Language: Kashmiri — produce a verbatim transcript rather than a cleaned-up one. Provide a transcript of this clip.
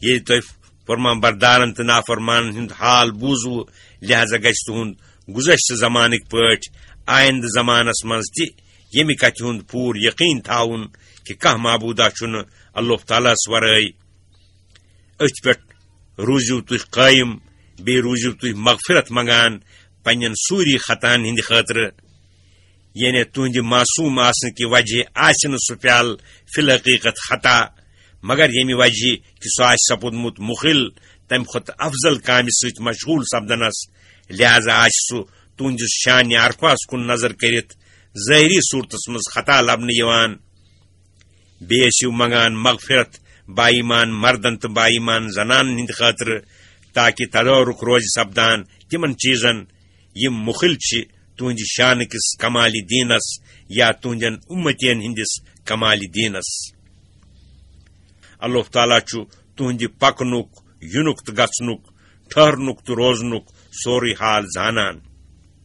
ییٚلہِ تۄہہِ فرمان بردارن تہٕ نافرمانن ہُنٛد حال بوٗزوٕ، لہذا گژھِ تُہُنٛد گُذشتہٕ زمانٕکۍ پٲٹھۍ آیندٕ زمانس منٛز تہِ ییٚمہِ کتھِ ہُنٛد پوٗرٕ یقین تھاوُن کہِ کانٛہہ معبوٗدا چھُنہٕ اللہ تعالیٰ ہس ورٲے۔ أتھۍ پٮ۪ٹھ روٗزِو تُہۍ قٲیِم، بیٚیہِ روٗزِو تُہۍ مغفرت منٛگان پننٮ۪ن سوٗری خطاہن ہٕنٛدِ خٲطرٕ۔ یعنی تُہنٛدِ معصوٗم آسنہٕ کہِ وجہ آسہِ نہٕ سُہ پیالہٕ فی الحقیقت خطا، مگر ییٚمہِ وجہ کہِ سُہ آسہِ سپُدمُت مُخِل تمہِ کھۄتہٕ افضل کامہِ سۭتۍ مشغوٗل سپدنس، لہذا آسہِ سُہ تُہنٛدِس شانہِ عرفاہس کُن نظر کٔرِتھ ظٲہری صوٗرتس منٛز خطا لبنہٕ یِوان۔ بیٚیہِ ٲسِو منگان مغفرت با ایمان مردن تہٕ با ایمان زنانن ہٕنٛدِ خٲطرٕ، تاکہِ تدارک روزِ سپدان تِمن چیٖزن یِم مُخِل چھِ تُہنٛدِ شانہٕ کِس کمالِ دیٖنس یا تُہنٛدٮ۪ن اُمتین ہٕنٛدِس کمالِ دیٖنس۔ اللہ تعالیٰ چھُ تُہنٛدِ پکنُک، یُنُک تہٕ گژھنُک، ٹھہرنُک تہٕ روزنُک سورُے حال زانان۔